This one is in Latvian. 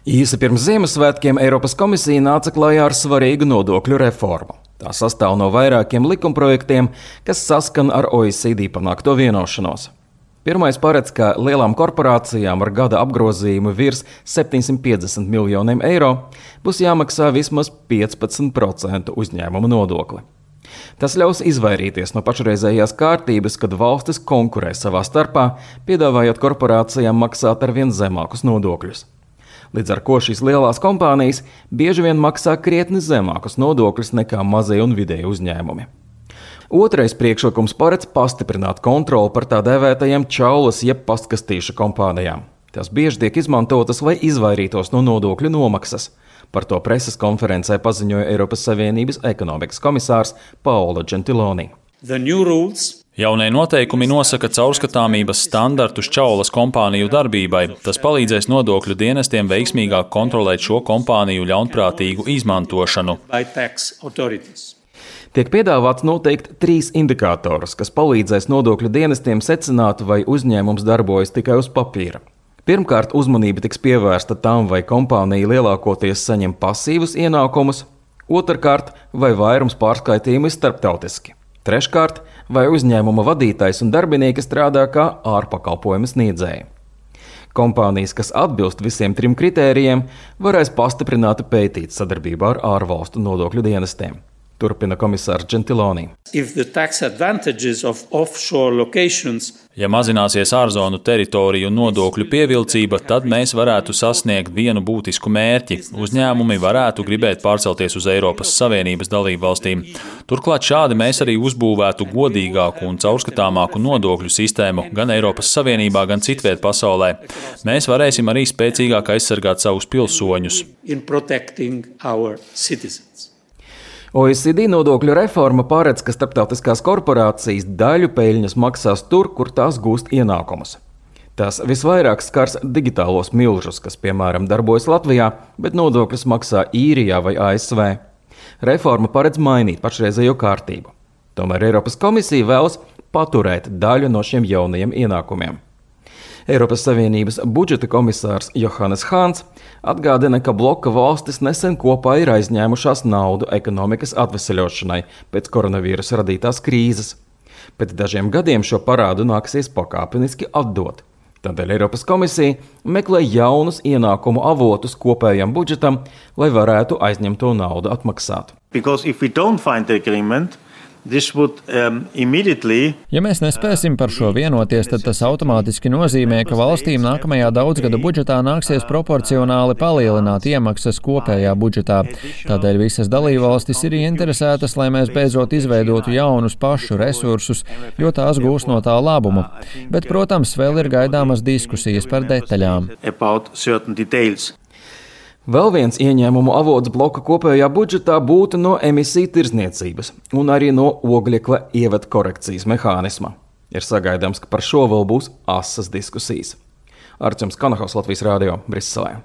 Īsi pirms Ziemassvētkiem Eiropas komisija nāca klajā ar svarīgu nodokļu reformu. Tā sastāv no vairākiem likumprojektiem, kas saskan ar OECD panākto vienošanos. Pirmais paredz, ka lielām korporācijām ar gada apgrozījumu virs 750 miljoniem eiro būs jāmaksā vismaz 15% uzņēmuma nodokli. Tas ļaus izvairīties no pašreizējās kārtības, kad valstis konkurē savā starpā, piedāvājot korporācijām maksāt arvien zemākus nodokļus. Līdz ar ko šīs lielās kompānijas bieži vien maksā krietni zemākus nodokļus nekā mazie un vidēji uzņēmumi. Otrais priekšlikums paredz pastiprināt kontroli par tā dēvētajiem čaulas jeb pastkastīšu kompānijām. Tās bieži tiek izmantotas, lai izvairītos no nodokļu nomaksas. Par to preses konferencē paziņoja Eiropas Savienības ekonomikas komisārs Paolo Gentiloni. Jaunie noteikumi nosaka caurskatāmības standartus čaulas kompāniju darbībai. Tas palīdzēs nodokļu dienestiem veiksmīgāk kontrolēt šo kompāniju ļaunprātīgu izmantošanu. Tiek piedāvāts noteikt 3 indikātorus, kas palīdzēs nodokļu dienestiem secināt, vai uzņēmums darbojas tikai uz papīra. Pirmkārt, uzmanība tiks pievērsta tam, vai kompānija lielākoties saņem pasīvus ienākumus. Otrkārt, vai vairums pārskaitījumu ir starptautiski. Treškārt, vai uzņēmuma vadītājs un darbinieki strādā kā ārpakalpojumu sniedzēji. Kompānijas, kas atbilst visiem 3 kritērijiem, varēs pastiprināti pētīt sadarbībā ar ārvalstu nodokļu dienestiem. Turpina komisārs Gentiloni. Ja mazināsies ārzonu teritoriju nodokļu pievilcība, tad mēs varētu sasniegt vienu būtisku mērķi. Uzņēmumi varētu gribēt pārcelties uz Eiropas Savienības dalību valstīm. Turklāt šādi mēs arī uzbūvētu godīgāku un caurskatāmāku nodokļu sistēmu gan Eiropas Savienībā, gan citviet pasaulē. Mēs varēsim arī spēcīgāk aizsargāt savus pilsoņus. OECD nodokļu reforma paredz, ka starptautiskās korporācijas daļu peļņas maksās tur, kur tās gūst ienākumus. Tas visvairāk skars digitālos milžus, kas, piemēram, darbojas Latvijā, bet nodokļus maksā Īrijā vai ASV. Reforma paredz mainīt pašreizējo kārtību. Tomēr Eiropas komisija vēlas paturēt daļu no šiem jaunajiem ienākumiem. Eiropas Savienības budžeta komisārs Johannes Hahns atgādina, ka bloka valstis nesen kopā ir aizņēmušās naudu ekonomikas atveseļošanai pēc koronavīrusa radītās krīzes. Pēc dažiem gadiem šo parādu nāksies pakāpeniski atdot. Tādēļ Eiropas komisija meklē jaunus ienākumu avotus kopējam budžetam, lai varētu aizņemto naudu atmaksāt. Ja mēs nespēsim par šo vienoties, tad tas automātiski nozīmē, ka valstīm nākamajā daudzgada budžetā nāksies proporcionāli palielināt iemaksas kopējā budžetā. Tādēļ visas dalībvalstis ir ieinteresētas, lai mēs beidzot izveidotu jaunus pašu resursus, jo tās gūs no tā labumu. Bet, protams, vēl ir gaidāmas diskusijas par detaļām. Vēl viens ieņēmumu avots bloka kopējā budžetā būtu no emisiju tirdzniecības un arī no oglekļa ievada korekcijas mehānisma. Ir sagaidāms, ka par šo vēl būs asas diskusijas. Arčuns Kanahaus, Latvijas radio, Briselē.